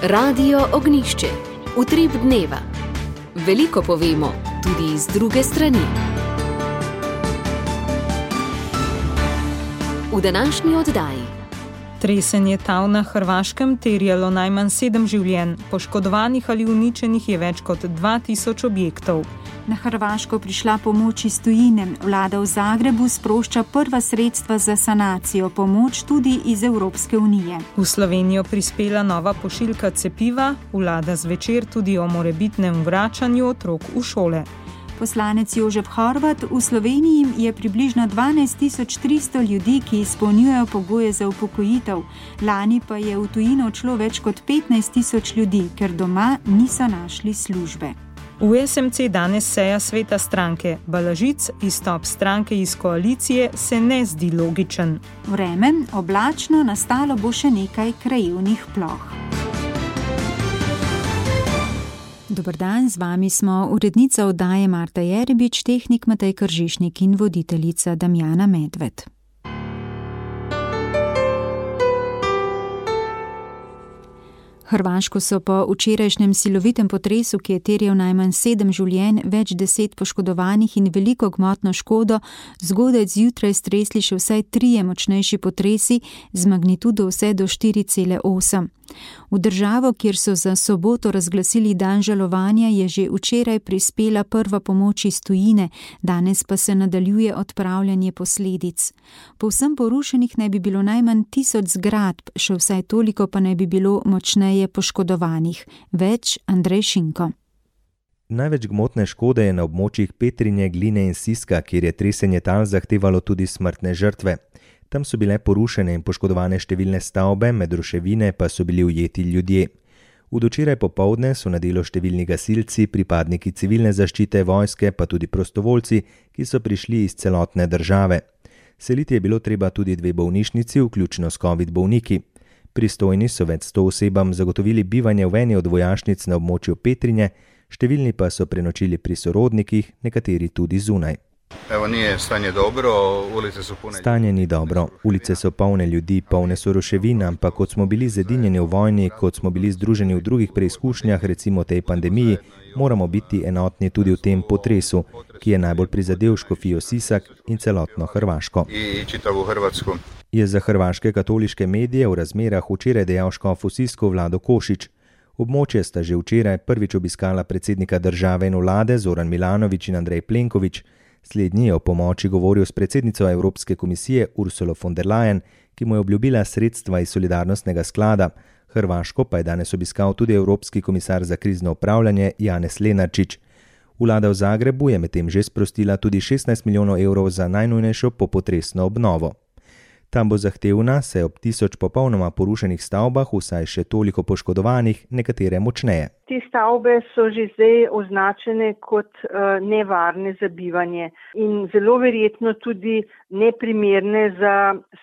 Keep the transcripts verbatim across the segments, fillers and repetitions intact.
Radio Ognjišče. Utrip dneva. Veliko povemo, tudi iz druge strani. V današnji oddaji. Tresenje tal na Hrvaškem terjalo najmanj sedem življenj, poškodovanih ali uničenih je več kot dva tisoč objektov. Na Hrvaško prišla pomoč iz tujine. Vlada v Zagrebu sprošča prva sredstva za sanacijo, pomoč tudi iz Evropske unije. V Slovenijo prispela nova pošiljka cepiva, vlada zvečer tudi o morebitnem vračanju otrok v šole. Poslanec Jožef Horvat: v Sloveniji je približno dvanajst tisoč tristo ljudi, ki izpolnjujejo pogoje za upokojitev. Lani pa je v tujino odšlo več kot petnajst tisoč ljudi, ker doma niso našli službe. V es em ce danes seja sveta stranke. Balažic, izstop stranke iz koalicije, se ne zdi logičen. Vreme, oblačno, nastalo bo še nekaj krajevnih ploh. Dober dan, z vami smo urednica oddaje Marta Jerebič, tehnik Matej Kržišnik in voditeljica Damjana Medved. Hrvaško so po včerajšnjem silovitem potresu, ki je terjal najmanj sedem življenj, več deset poškodovanih in veliko gmotno škodo, zgodaj zjutraj stresli še vsaj trije močnejši potresi z magnitudo vse do štiri cele osem. V državo, kjer so za soboto razglasili dan žalovanja, je že včeraj prispela prva pomoč iz tujine, danes pa se nadaljuje odpravljanje posledic. Povsem porušenih naj bi bilo najmanj tisoč zgradb, še vsaj toliko pa naj bi bilo močneje poškodovanih. Več Andrej Šinko. Največ gmotne škode je na območjih Petrinje, Gline in Siska, kjer je tresenje tal zahtevalo tudi smrtne žrtve. Tam so bile porušene in poškodovane številne stavbe, med ruševine pa so bili ujeti ljudje. V dočeraj popoldne so na delo številni gasilci, pripadniki civilne zaščite, vojske, pa tudi prostovoljci, ki so prišli iz celotne države. Seliti je bilo treba tudi dve bolnišnici, vključno s covid bolniki. Pristojni so več sto osebam zagotovili bivanje v eni od vojašnic na območju Petrinje, številni pa so prenočili pri sorodnikih, nekateri tudi zunaj. Evo, nije stanje dobro, ulice so pune... Stanje ni dobro, ulice so polne ljudi, polne so ruševin, ampak kot smo bili zedinjeni v vojni, kot smo bili združeni v drugih preizkušnjah, recimo tej pandemiji, moramo biti enotni tudi v tem potresu, ki je najbolj prizadel Škofijo Sisak in celotno Hrvaško. I čitavu Hrvatsku. Je za hrvaške katoliške medije v razmerah včeraj dejal škof v Sisku Vlado Košič. Območje sta že včeraj prvič obiskala predsednika države in vlade Zoran Milanović in Andrej Plenković. Slednji je o pomoči govoril s predsednico Evropske komisije Ursulo von der Leyen, ki mu je obljubila sredstva iz solidarnostnega sklada. Hrvaško pa je danes obiskal tudi Evropski komisar za krizno upravljanje Janez Lenarčič. Vlada v Zagrebu je medtem že sprostila tudi šestnajst milijonov evrov za najnujnejšo popotresno obnovo. Tam bo zahtevna, saj ob tisoč popolnoma porušenih stavbah vsaj še toliko poškodovanih, nekatere močneje. Te stavbe so že zdaj označene kot uh, nevarne za bivanje in zelo verjetno tudi neprimerne za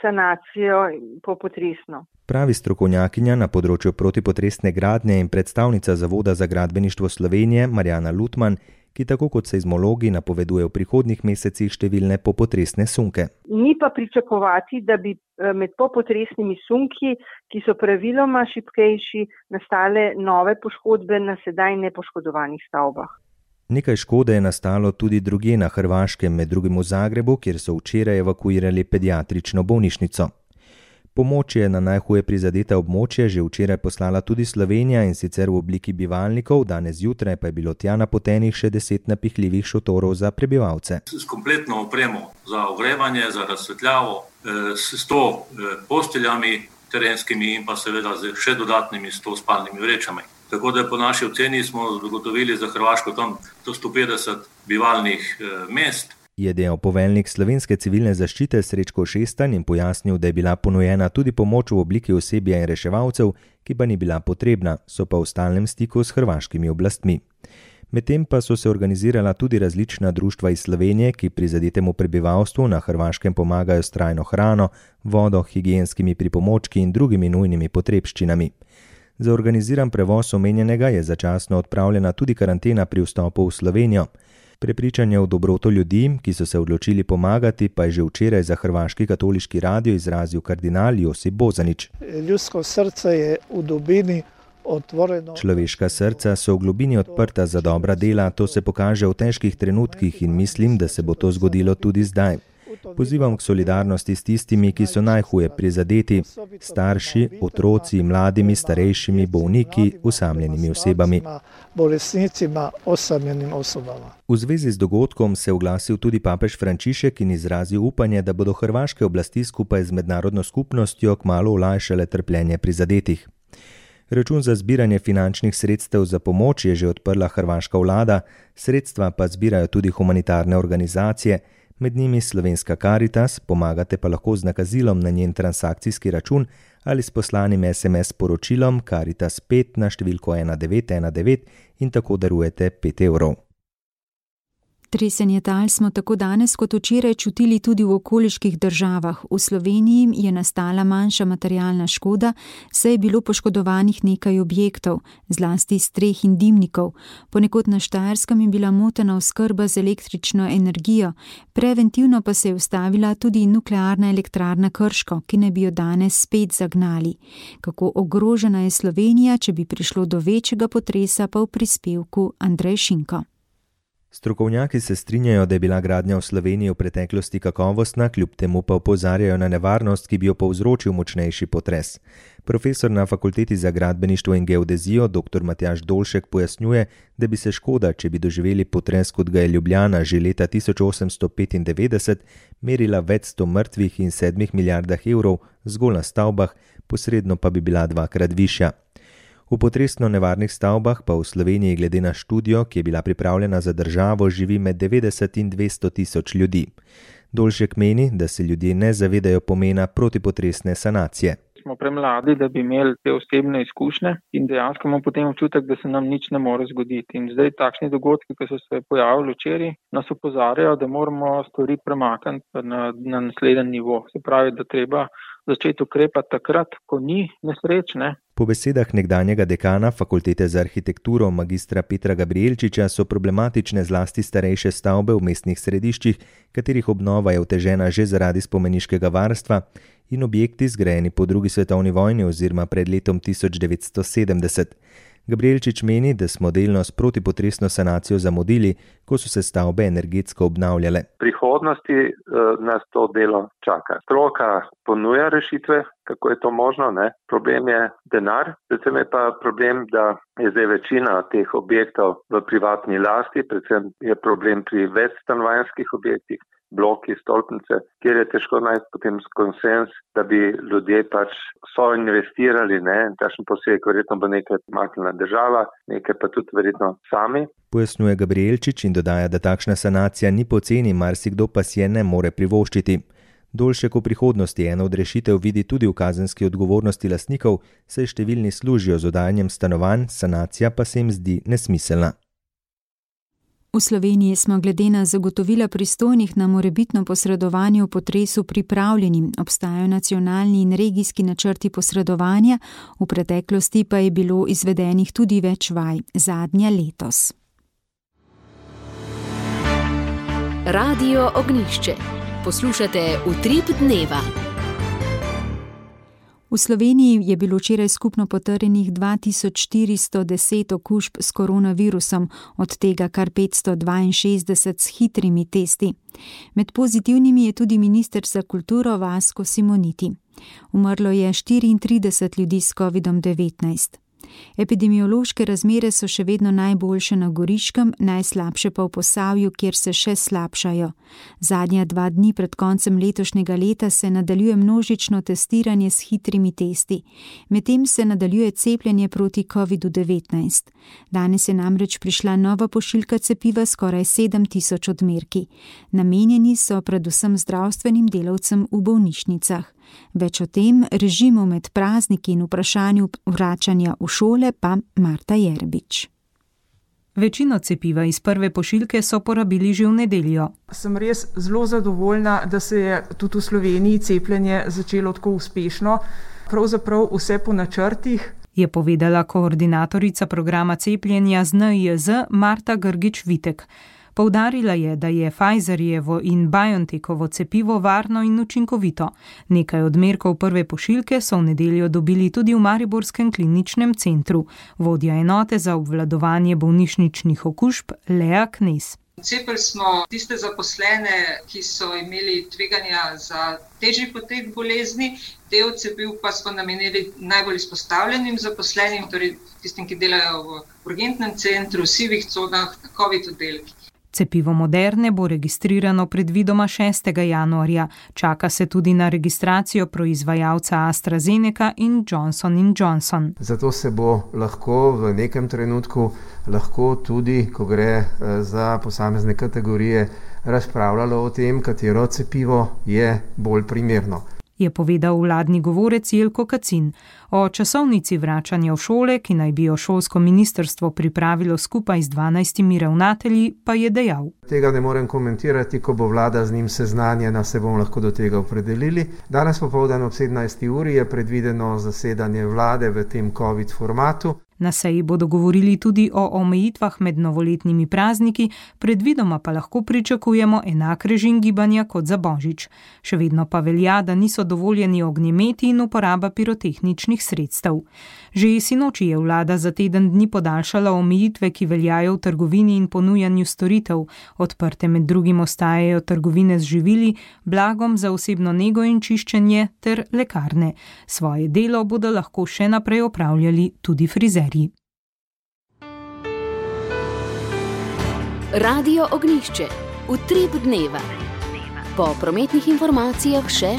sanacijo popotresno. Pravi strokovnjakinja na področju protipotresne gradnje in predstavnica Zavoda za gradbeništvo Slovenije Marjana Lutman, ki tako kot seizmologi napoveduje v prihodnjih mesecih številne popotresne sunke. Ni pa pričakovati, da bi med popotresnimi sunki, ki so praviloma šibkejši, nastale nove poškodbe na sedaj nepoškodovanih stavbah. Nekaj škode je nastalo tudi drugje na Hrvaškem, med drugim v Zagrebu, kjer so včeraj evakuirali pediatrično bolnišnico. Pomoč je na najhuje prizadeta območje že včeraj poslala tudi Slovenija, in sicer v obliki bivalnikov, danes zjutraj pa je bilo tja napotenih še deset napihljivih šotorov za prebivalce. S kompletno opremo za ogrevanje, za razsvetljavo, s sto posteljami terenskimi in pa seveda z še dodatnimi sto spalnimi vrečami. Tako da po naši oceni smo zagotovili za Hrvaško tam do sto petdeset bivalnih mest. Je dejal poveljnik Slovenske civilne zaščite Srečko Šestan in pojasnil, da je bila ponujena tudi pomoč v obliki osebja in reševalcev, ki pa ni bila potrebna, so pa v stalnem stiku s hrvaškimi oblastmi. Medtem pa so se organizirala tudi različna društva iz Slovenije, ki prizadetemu prebivalstvu na Hrvaškem pomagajo s trajno hrano, vodo, higienskimi pripomočki in drugimi nujnimi potrebščinami. Za organiziran prevoz omenjenega je začasno odpravljena tudi karantena pri vstopu v Slovenijo. Prepričanje v dobroto ljudi, ki so se odločili pomagati, pa je že včeraj za Hrvaški katoliški radio izrazil kardinal Josip Bozanić. Ljudsko srce je v dubini Človeška srca so v globini odprta za dobra dela, to se pokaže v težkih trenutkih in mislim, da se bo to zgodilo tudi zdaj. Pozivam k solidarnosti s tistimi, ki so najhuje prizadeti, starši, otroci, mladimi, starejšimi, bolniki, osamljenimi osebami. V zvezi z dogodkom se je oglasil tudi papež Frančišek in izrazil upanje, da bodo hrvaške oblasti skupaj z mednarodno skupnostjo kmalu olajšale trpljenje prizadetih. Račun za zbiranje finančnih sredstev za pomoč je že odprla hrvaška vlada, sredstva pa zbirajo tudi humanitarne organizacije, med njimi Slovenska Karitas, pomagate pa lahko z nakazilom na njen transakcijski račun ali s poslanim es em es sporočilom Karitas pet na številko ena devet ena devet in tako darujete pet evrov. Tresenje tal smo tako danes kot včeraj čutili tudi v okoliških državah. V Sloveniji je nastala manjša materialna škoda, saj je bilo poškodovanih nekaj objektov, zlasti streh in dimnikov. Ponekod na Štajerskem je bila motena oskrba z električno energijo, preventivno pa se je ustavila tudi nuklearna elektrarna Krško, ki ne bi jo danes spet zagnali. Kako ogrožena je Slovenija, če bi prišlo do večjega potresa, pa v prispevku Andrej Šinko. Strokovnjaki se strinjajo, da je bila gradnja v Sloveniji v preteklosti kakovostna, kljub temu pa opozarjajo na nevarnost, ki bi jo povzročil močnejši potres. Profesor na Fakulteti za gradbeništvo in geodezijo dr. Matjaž Dolšek pojasnjuje, da bi se škoda, če bi doživeli potres, kot ga je Ljubljana že leta tisoč osemsto petindevetdeset, merila več sto mrtvih in sedmih milijardah evrov zgolj na stavbah, posredno pa bi bila dvakrat višja. V potresno nevarnih stavbah pa v Sloveniji glede na študijo, ki je bila pripravljena za državo, živi med devetdeset in dvesto tisoč ljudi. Dolšek meni, da se ljudje ne zavedajo pomena protipotresne sanacije. Smo premladi, da bi imeli te osebne izkušnje in dejansko imamo potem občutek, da se nam nič ne more zgoditi. In zdaj takšni dogodki, ki so se pojavili včeraj, nas opozarjajo, da moramo stvari premakniti na, na naslednji nivo. Se pravi, da treba začeti ukrepati takrat, ko ni nesreč, ne? Po besedah nekdanjega dekana Fakultete za arhitekturo magistra Petra Gabrielčiča so problematične zlasti starejše stavbe v mestnih središčih, katerih obnova je otežena že zaradi spomeniškega varstva, in objekti zgrajeni po drugi svetovni vojni oziroma pred letom tisoč devetsto sedemdeset. Gabrielčič meni, da smo delno s protipotresno sanacijo zamudili, ko so se stavbe energetsko obnavljale. V prihodnosti eh, nas to delo čaka. Stroka ponuja rešitve, kako je to možno, ne? Problem je denar, predvsem je pa problem, da je zdaj večina teh objektov v privatni lasti, predvsem je problem pri večstanovanjskih objektih, bloki, stolpnice, kjer je težko najti potem konsens, da bi ljudje pač so investirali, ne, takšen poseg, verjetno bo nekaj maknila država, nekaj pa tudi verjetno sami. Pojasnjuje Gabrielčič in dodaja, da takšna sanacija ni poceni, marsikdo pa si je ne more privoščiti. Dolšek v prihodnosti eno od rešitev vidi tudi v kazenski odgovornosti lastnikov, saj številni služijo z oddajanjem stanovanj, sanacija pa se jim zdi nesmiselna. V Sloveniji smo glede na zagotovila pristojnih na morebitno posredovanje v potresu pripravljeni. Obstajajo nacionalni in regijski načrti posredovanja, v preteklosti pa je bilo izvedenih tudi več vaj, zadnja letos. Radio Ognjišče. Poslušate Utrip dneva. V Sloveniji je bilo včeraj skupno potrjenih dva tisoč štiristo deset okužb s koronavirusom, od tega kar petsto dvainšestdeset s hitrimi testi. Med pozitivnimi je tudi minister za kulturo Vasko Simoniti. Umrlo je štiriintrideset ljudi s kovidom devetnajst. Epidemiološke razmere so še vedno najboljše na Goriškem, najslabše pa v Posavju, kjer se še slabšajo. Zadnja dva dni pred koncem letošnjega leta se nadaljuje množično testiranje s hitrimi testi. Medtem se nadaljuje cepljenje proti kovidu devetnajst. Danes je namreč prišla nova pošiljka cepiva skoraj sedem tisoč odmerki. Namenjeni so predvsem zdravstvenim delavcem v bolnišnicah. Več o tem, režimu med prazniki in vprašanju vračanja v šole pa Marta Jerbič. Večino cepiva iz prve pošiljke so porabili že v nedeljo. Sem res zelo zadovoljna, da se je tudi v Sloveniji cepljenje začelo tako uspešno. Pravzaprav vse po načrtih, je povedala koordinatorica programa cepljenja z N I J Z Marta Grgič-Vitek. Poudarila je, da je Pfizerjevo in BioNTechovo cepivo varno in učinkovito. Nekaj odmerkov prve pošiljke so v nedeljo dobili tudi v mariborskem kliničnem centru. Vodja enote za obvladovanje bolnišničnih okužb Lea Knez. Cepili smo tiste zaposlene, ki so imeli tveganja za težji potek bolezni, del cepiv pa smo namenili najbolj izpostavljenim zaposlenim, torej tistim, ki delajo v urgentnem centru, sivih conah, na COVID oddelkih. Cepivo Moderne bo registrirano predvidoma šestega januarja. Čaka se tudi na registracijo proizvajalca AstraZeneca in Johnson in Johnson. Zato se bo lahko v nekem trenutku, lahko tudi, ko gre za posamezne kategorije, razpravljalo o tem, katero cepivo je bolj primerno. Je povedal vladni govorec Jelko Kacin. O časovnici vračanja v šole, ki naj bi jo šolsko ministrstvo pripravilo skupaj z dvanajstimi ravnatelji, pa je dejal. Tega ne morem komentirati, ko bo vlada z njim seznanjena, se bomo lahko do tega opredelili. Danes popoldan ob sedemnajsti uri je predvideno zasedanje vlade v tem COVID formatu. Na seji bodo govorili tudi o omejitvah med novoletnimi prazniki, predvidoma pa lahko pričakujemo enak režim gibanja kot za Božič. Še vedno pa velja, da niso dovoljeni ognjemeti in uporaba pirotehničnih sredstev. Že sinoči je vlada za teden dni podaljšala omejitve, ki veljajo v trgovini in ponujanju storitev. Odprte med drugim ostajajo trgovine z živili, blagom za osebno nego in čiščenje ter lekarne. Svoje delo bodo lahko še naprej opravljali tudi frizerji. Radio Ognjišče. Utrip dneva. Po prometnih informacijah še.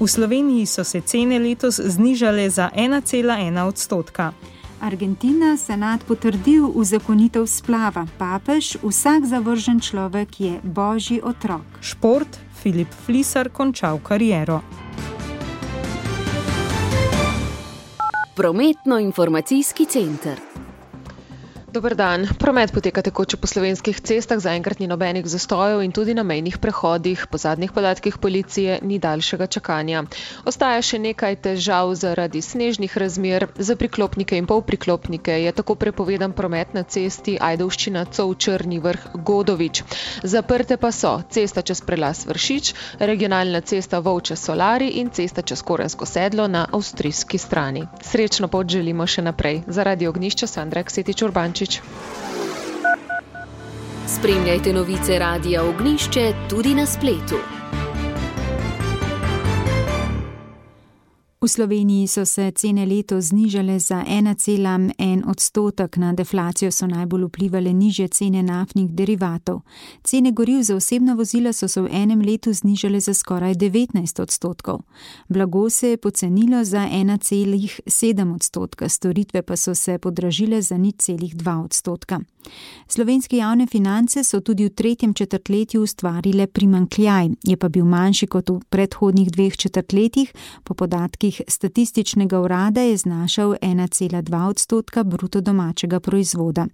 V Sloveniji so se cene letos znižale za ena cela ena odstotka. Argentina senat potrdil uzakonitev splava. Papež, vsak zavržen človek je božji otrok. Šport, Filip Flisar končal kariero. Prometno-informacijski center. Dober dan. Promet poteka tekoče po slovenskih cestah, zaenkrat ni nobenih zastojev in tudi na mejnih prehodih. Po zadnjih podatkih policije ni daljšega čakanja. Ostaja še nekaj težav zaradi snežnih razmer. Za priklopnike in polpriklopnike je tako prepovedan promet na cesti Ajdovščina Cov Črni Vrh Godovič. Zaprte pa so cesta čez prelaz Vršič, regionalna cesta Volče Solari in cesta čez Korensko sedlo na avstrijski strani. Srečno pot želimo še naprej. Za Radio Ognjišče Sandra Ksetič Urbančič. Spremljajte novice Radia Ognjišče tudi na spletu. V Sloveniji so se cene letos znižale za ena cela en odstotek, na deflacijo so najbolj vplivale nižje cene naftnih derivatov. Cene goriv za osebna vozila so se v enem letu znižale za skoraj devetnajst odstotkov. Blago se je pocenilo za ena cela sedem odstotka, storitve pa so se podražile za nič cela dva odstotka. Slovenske javne finance so tudi v tretjem četrtletju ustvarile primanjkljaj, je pa bil manjši kot v predhodnih dveh četrtletjih, po podatkih Statističnega urada je znašal ena cela dva odstotka bruto domačega proizvoda.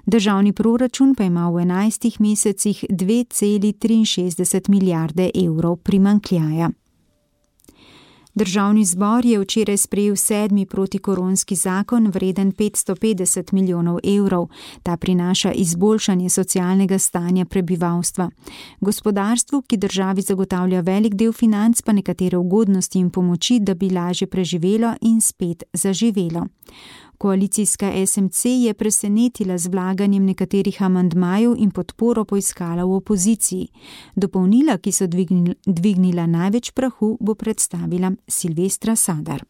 Državni proračun pa ima v enajstih mesecih dve cela triinšestdeset milijarde evrov primanjkljaja. Državni zbor je včeraj sprejel sedmi protikoronski zakon vreden petsto petdeset milijonov evrov. Ta prinaša izboljšanje socialnega stanja prebivalstva. Gospodarstvu, ki državi zagotavlja velik del financ, pa nekatere ugodnosti in pomoči, da bi lažje preživelo in spet zaživelo. Koalicijska es em ce je presenetila z vlaganjem nekaterih amandmajev in podporo poiskala v opoziciji. Dopolnila, ki so dvignila največ prahu, bo predstavila Silvestra Sadar.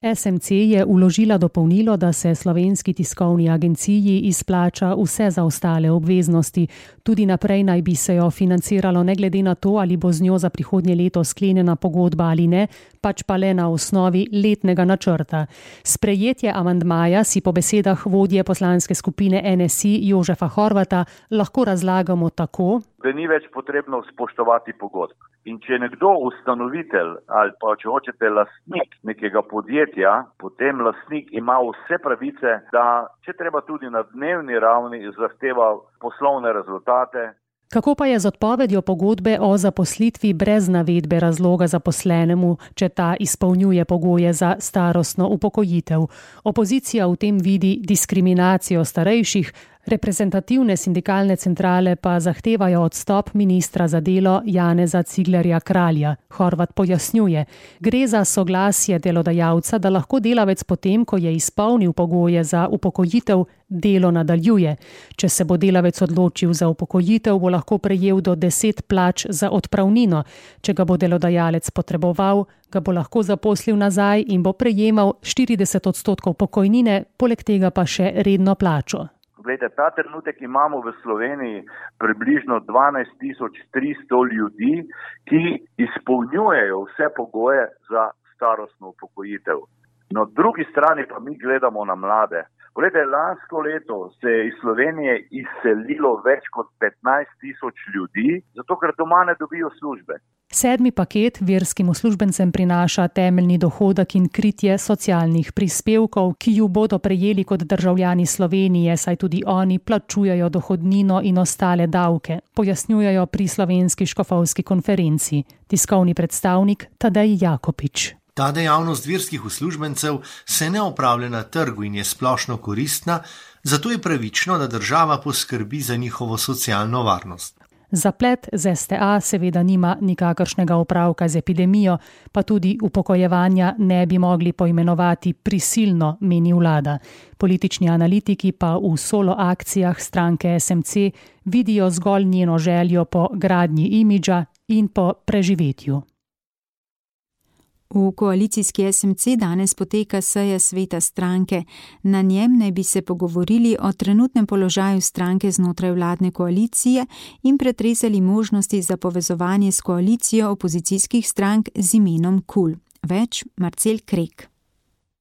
es em ce je vložila dopolnilo, da se Slovenski tiskovni agenciji izplača vse zaostale obveznosti. Tudi naprej naj bi se jo financiralo ne glede na to, ali bo z njo za prihodnje leto sklenjena pogodba ali ne, pač pa le na osnovi letnega načrta. Sprejetje amandmaja si po besedah vodje poslanske skupine en es i Jožefa Horvata lahko razlagamo tako, da ni več potrebno spoštovati pogodb. In če je nekdo ustanovitelj ali pa če hočete lastnik nekega podjetja, potem lastnik ima vse pravice, da če treba tudi na dnevni ravni zahteva poslovne rezultate. Kako pa je z odpovedjo pogodbe o zaposlitvi brez navedbe razloga zaposlenemu, če ta izpolnjuje pogoje za starostno upokojitev? Opozicija v tem vidi diskriminacijo starejših, Reprezentativne sindikalne centrale pa zahtevajo odstop ministra za delo Janeza Ciglerja Kralja. Horvat pojasnjuje, gre za soglasje delodajalca, da lahko delavec potem, ko je izpolnil pogoje za upokojitev, delo nadaljuje. Če se bo delavec odločil za upokojitev, bo lahko prejel do deset plač za odpravnino. Če ga bo delodajalec potreboval, ga bo lahko zaposlil nazaj in bo prejemal štirideset odstotkov pokojnine, poleg tega pa še redno plačo. Glede, ta trenutek imamo v Sloveniji približno dvanajst tisoč tristo ljudi, ki izpolnjujejo vse pogoje za starostno upokojitev. Na drugi strani pa mi gledamo na mlade. Glede, lansko leto se je iz Slovenije izselilo več kot petnajst tisoč ljudi, zato ker doma ne dobijo službe. Sedmi paket verskim uslužbencem prinaša temeljni dohodek in kritje socialnih prispevkov, ki ju bodo prejeli kot državljani Slovenije, saj tudi oni plačujejo dohodnino in ostale davke, pojasnjujejo pri Slovenski škofovski konferenci. Tiskovni predstavnik Tadej Jakopič. Ta dejavnost verskih uslužbencev se ne opravlja na trgu in je splošno koristna, zato je pravično, da država poskrbi za njihovo socialno varnost. Zaplet z es te a seveda nima nikakršnega opravka z epidemijo, pa tudi upokojevanja ne bi mogli poimenovati prisilno, meni vlada. Politični analitiki pa v solo akcijah stranke es em ce vidijo zgolj njeno željo po gradnji imidža in po preživetju. V koalicijski es em ce danes poteka seja sveta stranke. Na njem naj bi se pogovorili o trenutnem položaju stranke znotraj vladne koalicije in pretresali možnosti za povezovanje s koalicijo opozicijskih strank z imenom KUL. Več Marcel Krek.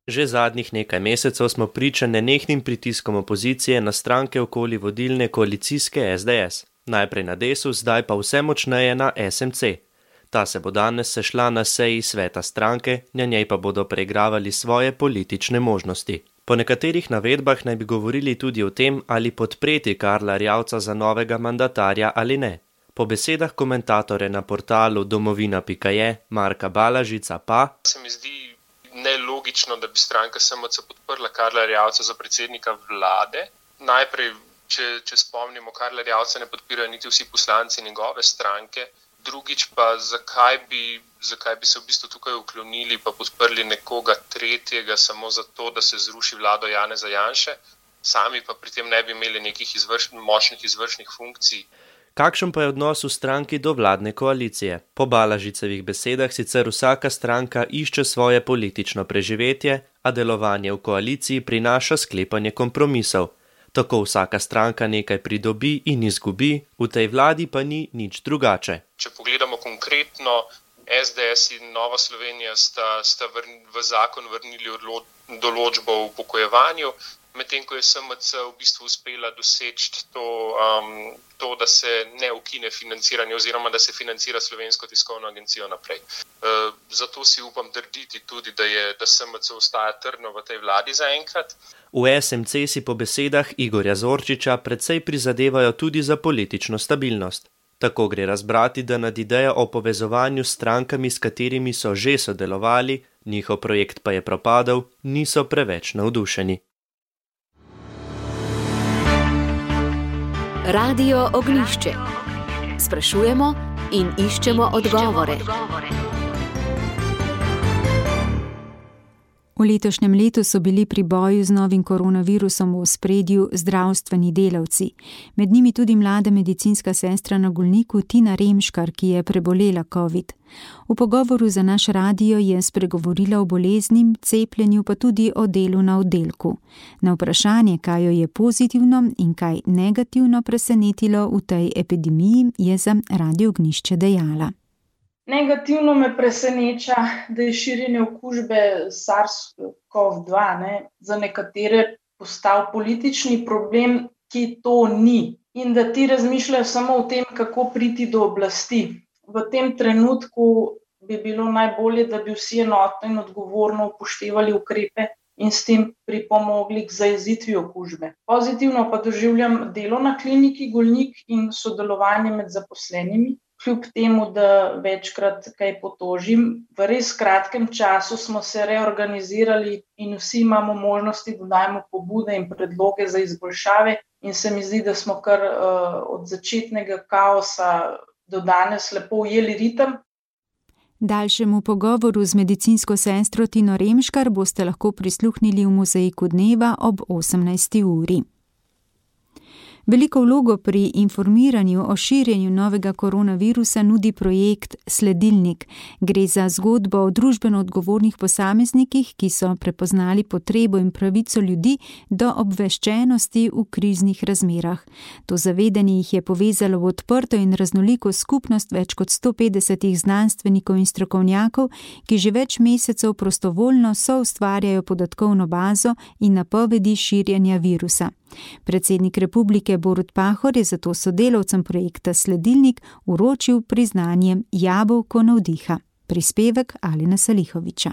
Že zadnjih nekaj mesecev smo priča nenehnim pritiskom opozicije na stranke okoli vodilne koalicijske es de es. Najprej na Desus, zdaj pa vse močneje na es em ce. Ta se bo danes sešla na seji sveta stranke, na njej pa bodo preigravali svoje politične možnosti. Po nekaterih navedbah naj bi govorili tudi o tem, ali podpreti Karla Erjavca za novega mandatarja ali ne. Po besedah komentatore na portalu domovina pika je Marka Balažica pa se mi zdi nelogično, da bi stranka es em ce podprla Karla Erjavca za predsednika vlade. Najprej, če, če spomnimo, Karla Erjavca ne podpirajo niti vsi poslanci njegove stranke. Drugič pa, zakaj bi, zakaj bi se v bistvu tukaj uklonili pa podprli nekoga tretjega samo zato, da se zruši vlado Janeza Janše, sami pa pri tem ne bi imeli nekih izvrš, močnih izvršnih funkcij. Kakšen pa je odnos v stranki do vladne koalicije? Po Balažicevih besedah sicer vsaka stranka išče svoje politično preživetje, a delovanje v koaliciji prinaša sklepanje kompromisov. Tako vsaka stranka nekaj pridobi in izgubi, v tej vladi pa ni nič drugače. Če pogledamo konkretno, es de es in Nova Slovenija sta, sta vrn, v zakon vrnili odlo, določbo o upokojevanju, medtem ko je es em ce v bistvu uspela doseči to, um, to, da se ne ukine financiranje oziroma da se financira Slovensko tiskovno agencijo naprej. Uh, zato si upam trditi tudi, da, je, da es em ce ostaja trdno v tej vladi zaenkrat. V es em ce si po besedah Igorja Zorčiča precej prizadevajo tudi za politično stabilnost. Tako gre razbrati, da nad idejo o povezovanju s strankami, s katerimi so že sodelovali, njihov projekt pa je propadel, niso preveč navdušeni. Radio Ognjišče. Sprašujemo in iščemo odgovore. V letošnjem letu so bili pri boju z novim koronavirusom v ospredju zdravstveni delavci. Med njimi tudi mlada medicinska sestra na Golniku Tina Remškar, ki je prebolela covid. V pogovoru za naš radio je spregovorila o boleznim, cepljenju pa tudi o delu na oddelku. Na vprašanje, kaj jo je pozitivno in kaj negativno presenetilo v tej epidemiji, je za Radio Ognjišče dejala. Negativno me preseneča, da je širjenje okužbe SARS kov dva ne, za nekatere postal politični problem, ki to ni. In da ti razmišljajo samo o tem, kako priti do oblasti. V tem trenutku bi bilo najbolje, da bi vsi enotno in odgovorno upoštevali ukrepe in s tem pripomogli k zajezitvi okužbe. Pozitivno pa doživljam delo na kliniki Golnik in sodelovanje med zaposlenimi. kljub temu, da večkrat kaj potožim. V res kratkem času smo se reorganizirali in vsi imamo možnosti, da dajemo pobude in predloge za izboljšave in se mi zdi, da smo kar uh, od začetnega kaosa do danes lepo ujeli ritem. Daljšemu pogovoru z medicinsko sestro Tino Remškar boste lahko prisluhnili v Mozaiku dneva ob osemnajsti uri. Veliko vlogo pri informiranju o širjenju novega koronavirusa nudi projekt Sledilnik. Gre za zgodbo o družbeno odgovornih posameznikih, ki so prepoznali potrebo in pravico ljudi do obveščenosti v kriznih razmerah. To zavedanje jih je povezalo v odprto in raznoliko skupnost več kot sto petdesetih znanstvenikov in strokovnjakov, ki že več mesecev prostovoljno soustvarjajo podatkovno bazo in napovedi širjenja virusa. Predsednik republike Borut Pahor je zato sodelavcem projekta Sledilnik uročil priznanje Jabolko navdiha. Prispevek Alena Salihoviča.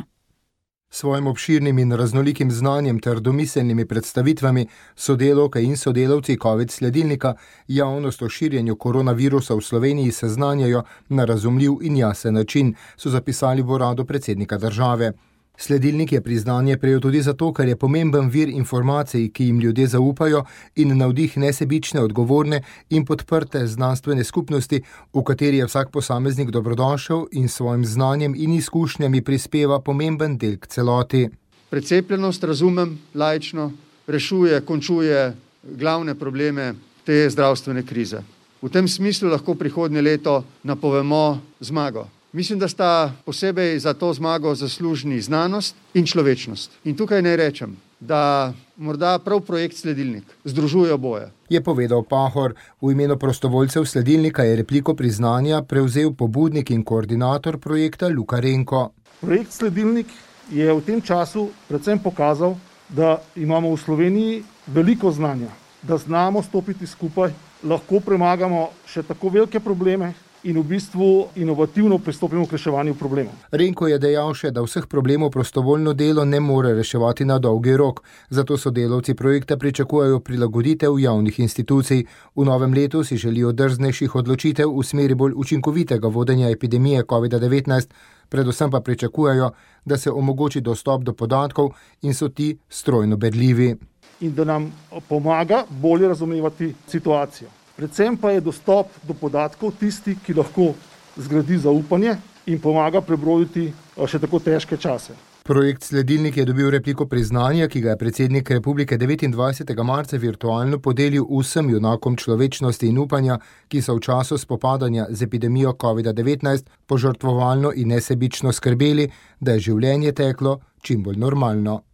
Svojim obširnim in raznolikim znanjem ter domiselnimi predstavitvami sodelavke in sodelavci COVID sledilnika javnost o širjenju koronavirusa v Sloveniji seznanjajo na razumljiv in jasen način, so zapisali v uradu predsednika države. Sledilnik je priznanje prejel tudi zato, ker je pomemben vir informacij, ki jim ljudje zaupajo in navdih nesebične, odgovorne in podprte znanstvene skupnosti, v kateri je vsak posameznik dobrodošel in svojim znanjem in izkušnjami prispeva pomemben del k celoti. Precepljenost, razumem, laično, rešuje, končuje glavne probleme te zdravstvene krize. V tem smislu lahko prihodnje leto napovemo zmago. Mislim, da sta posebej za to zmago zaslužni znanost in človečnost. In tukaj naj rečem, da morda prav projekt Sledilnik združuje oboje. Je povedal Pahor. V imenu prostovoljcev Sledilnika je repliko priznanja prevzel pobudnik in koordinator projekta Luka Renko. Projekt Sledilnik je v tem času predvsem pokazal, da imamo v Sloveniji veliko znanja, da znamo stopiti skupaj, lahko premagamo še tako velike probleme in v bistvu inovativno pristopimo k reševanju problemov. Renko je dejal še, da vseh problemov prostovoljno delo ne more reševati na dolgi rok, zato sodelavci projekta pričakujejo prilagoditev javnih institucij. V novem letu si želijo drznejših odločitev v smeri bolj učinkovitega vodenja epidemije covid devetnajst, predvsem pa pričakujejo, da se omogoči dostop do podatkov in so ti strojno berljivi. In da nam pomaga bolje razumevati situacijo. Predvsem pa je dostop do podatkov tisti, ki lahko zgradi zaupanje in pomaga prebroditi še tako težke čase. Projekt Sledilnik je dobil repliko priznanja, ki ga je predsednik republike devetindvajsetega marca virtualno podelil vsem junakom človečnosti in upanja, ki so v času spopadanja z epidemijo covid devetnajst požrtvovalno in nesebično skrbeli, da je življenje teklo čim bolj normalno.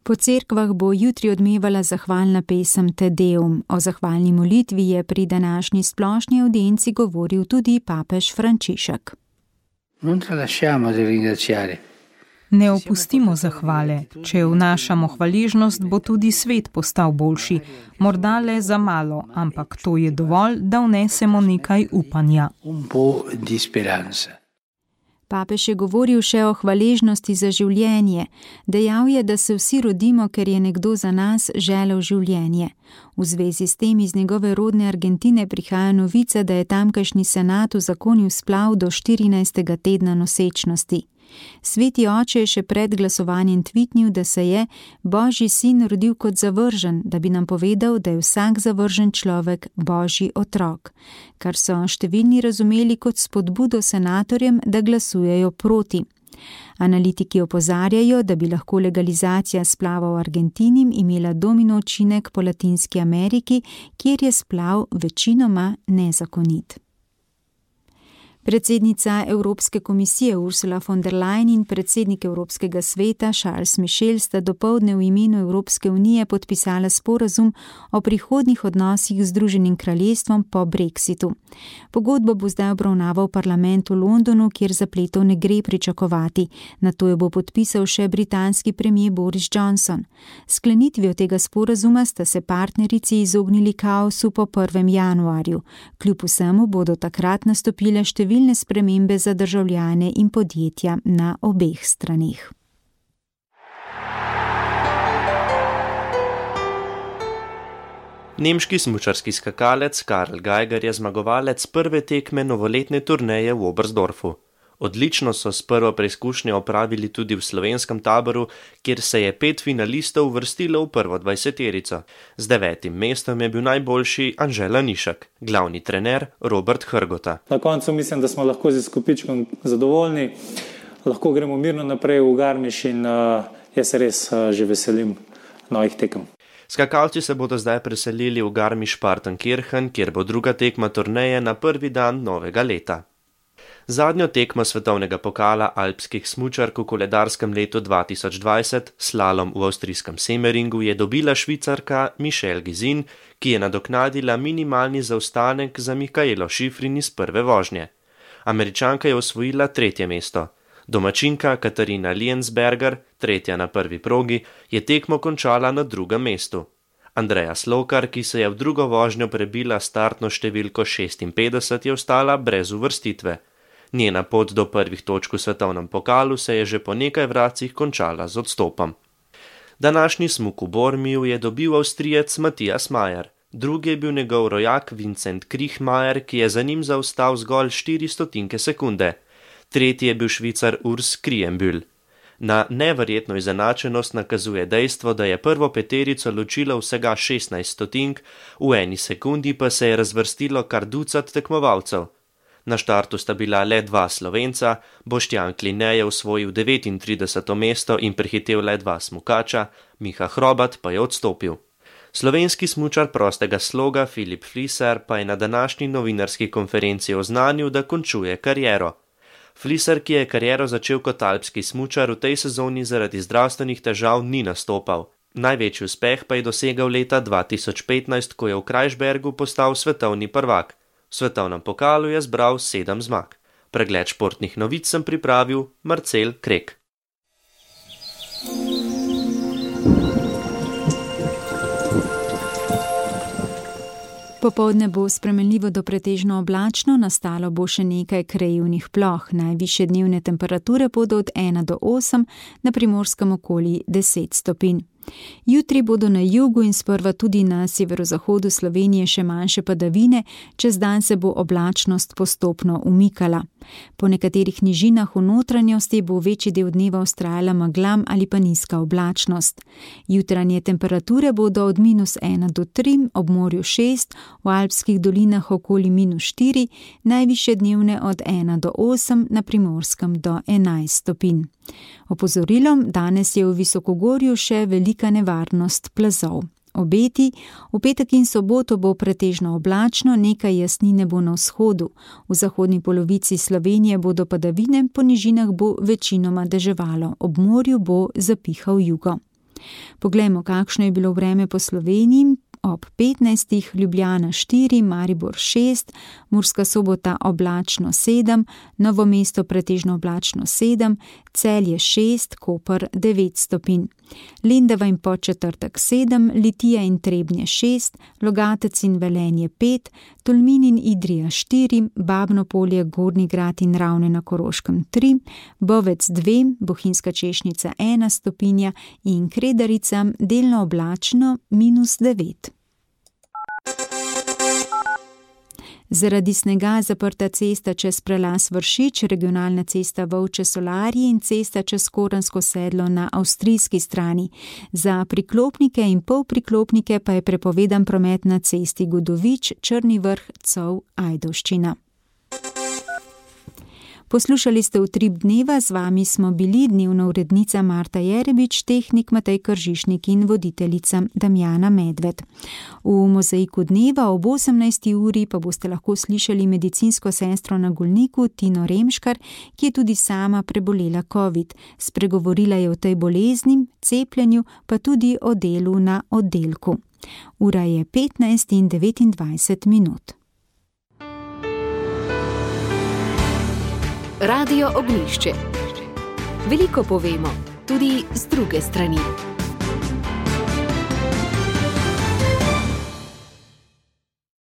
Po cerkvah bo jutri odmevala zahvalna pesem Te Deum. O zahvalni molitvi je pri današnji splošni audienci govoril tudi papež Frančišek. Ne opustimo zahvale. Če vnašamo hvaležnost, bo tudi svet postal boljši. Morda le za malo, ampak to je dovolj, da vnesemo nekaj upanja. Papež je govoril še o hvaležnosti za življenje. Dejal je, da se vsi rodimo, ker je nekdo za nas želel življenje. V zvezi s tem iz njegove rodne Argentine prihaja novica, da je tamkajšnji senat uzakonil splav do štirinajstega tedna nosečnosti. Sveti oče je še pred glasovanjem tvitnil, da se je Božji sin rodil kot zavržen, da bi nam povedal, da je vsak zavržen človek Božji otrok, kar so številni razumeli kot spodbudo senatorjem, da glasujejo proti. Analitiki opozarjajo, da bi lahko legalizacija splava v Argentini imela domino učinek po Latinski Ameriki, kjer je splav večinoma nezakonit. Predsednica Evropske komisije Ursula von der Leyen in predsednik Evropskega sveta Charles Michel sta dopoldne v imenu Evropske unije podpisala sporazum o prihodnjih odnosih z Združenim kraljestvom po Brexitu. Pogodbo bo zdaj obravnaval parlament v Londonu, kjer zapletov ne gre pričakovati. Nato jo bo podpisal še britanski premier Boris Johnson. Sklenitvijo tega sporazuma sta se partnerici izognili kaosu po prvem januarju. Kljub vsemu bodo takrat nastopile številne številne spremembe za državljane in podjetja na obeh straneh. Nemški smučarski skakalec Karl Geiger je zmagovalec prve tekme novoletne turneje v Oberstdorfu. Odlično so s prvo preizkušnjo opravili tudi v slovenskem taboru, kjer se je pet finalistov uvrstilo v prvo dvajseterico. Z devetim mestom je bil najboljši Anže Lanišek, glavni trener Robert Hrgota. Na koncu mislim, da smo lahko z izkupičkom zadovoljni, lahko gremo mirno naprej v Garmisch in uh, jaz se res uh, že veselim novih tekem. Skakalci se bodo zdaj preselili v Garmisch-Partenkirchen, kjer bo druga tekma turneje na prvi dan novega leta. Zadnjo tekmo svetovnega pokala alpskih smučark v koledarskem letu dva tisoč dvajset, slalom v avstrijskem Semeringu, je dobila Švicarka Michelle Gizin, ki je nadoknadila minimalni zaostanek za Mikaelo Šifrin iz prve vožnje. Američanka je osvojila tretje mesto. Domačinka Katarina Liensberger, tretja na prvi progi, je tekmo končala na drugem mestu. Andreja Slokar, ki se je v drugo vožnjo prebila startno številko šestinpetdeset, je ostala brez uvrstitve. Njena pot do prvih točk v svetovnem pokalu se je že po nekaj vracih končala z odstopom. Današnji smuk v Bormiju je dobil Avstrijec Matthias Mayer. Drugi je bil njegov rojak Vincent Kriechmayer, ki je za njim zaostal zgolj štiri stotinke sekunde. Tretji je bil Švicar Urs Kriembühl. Na neverjetno izenačenost nakazuje dejstvo, da je prvo peterico ločilo vsega šestnajst stotink, v eni sekundi pa se je razvrstilo kar ducat tekmovalcev. Na štartu sta bila le dva Slovenca, Boštjan Kline je osvojil devetintrideseto mesto in prehitel le dva smukača, Miha Hrobat pa je odstopil. Slovenski smučar prostega sloga Filip Fliser pa je na današnji novinarski konferenci oznanil, da končuje kariero. Fliser, ki je kariero začel kot alpski smučar, v tej sezoni zaradi zdravstvenih težav ni nastopal. Največji uspeh pa je dosegal leta dva tisoč petnajst, ko je v Krajšbergu postal svetovni prvak. V svetovnem pokalu je zbral sedem zmag. Pregled športnih novic sem pripravil Marcel Krek. Popoldne bo spremenljivo do pretežno oblačno, nastalo bo še nekaj krajevnih ploh. Najvišje dnevne temperature bodo od ena do osem, na Primorskem okoli deset stopinj. Jutri bodo na jugu in sprva tudi na severozahodu Slovenije še manjše padavine, čez dan se bo oblačnost postopno umikala. Po nekaterih nižinah v notranjosti bo večji del dneva vztrajala meglam ali pa nizka oblačnost. Jutranje temperature bodo od minus ena do tri, ob morju šest, v alpskih dolinah okoli minus štiri, najvišje dnevne od ena do osem, na Primorskem do enajst stopinj. Opozorilom, danes je v visokogorju še velika nevarnost plazov. Obeti, v petek in soboto bo pretežno oblačno, nekaj jasnine bo na vzhodu. V zahodni polovici Slovenije bodo padavine, po nižinah bo večinoma deževalo, ob morju bo zapihal jugo. Poglejmo, kakšno je bilo vreme po Sloveniji. Ob petnajstih Ljubljana štiri, Maribor šest, Murska Sobota oblačno sedem, Novo mesto pretežno oblačno sedem, Celje šest, Koper devet stopinj. Lendava in Podčetrtek sedem, Litija in Trebnje šest, Logatec in Velenje pet, Tolmin in Idrija štiri, Babno Polje, Gornji Grad in Ravne na Koroškem tri, Bovec dve, Bohinjska Češnica ena stopinja in Kredarica delno oblačno minus devet. Zaradi snega zaprta cesta čez prelaz Vršič, regionalna cesta Volče-Solarji in cesta čez Koransko sedlo na avstrijski strani. Za priklopnike in polpriklopnike pa je prepovedan promet na cesti Godovič, Črni Vrh, Cov, Ajdovščina. Poslušali ste Utrip dneva, z vami smo bili dnevna urednica Marta Jerebič, tehnik Matej Kržišnik in voditeljica Damjana Medved. V Mozaiku dneva ob osemnajsti uri pa boste lahko slišali medicinsko sestro na Golniku Tino Remškar, ki je tudi sama prebolela covid. Spregovorila je o tej bolezni, cepljenju, pa tudi o delu na oddelku. Ura je petnajst in devetindvajset minut. Radio Ognjišče. Veliko povemo, tudi z druge strani.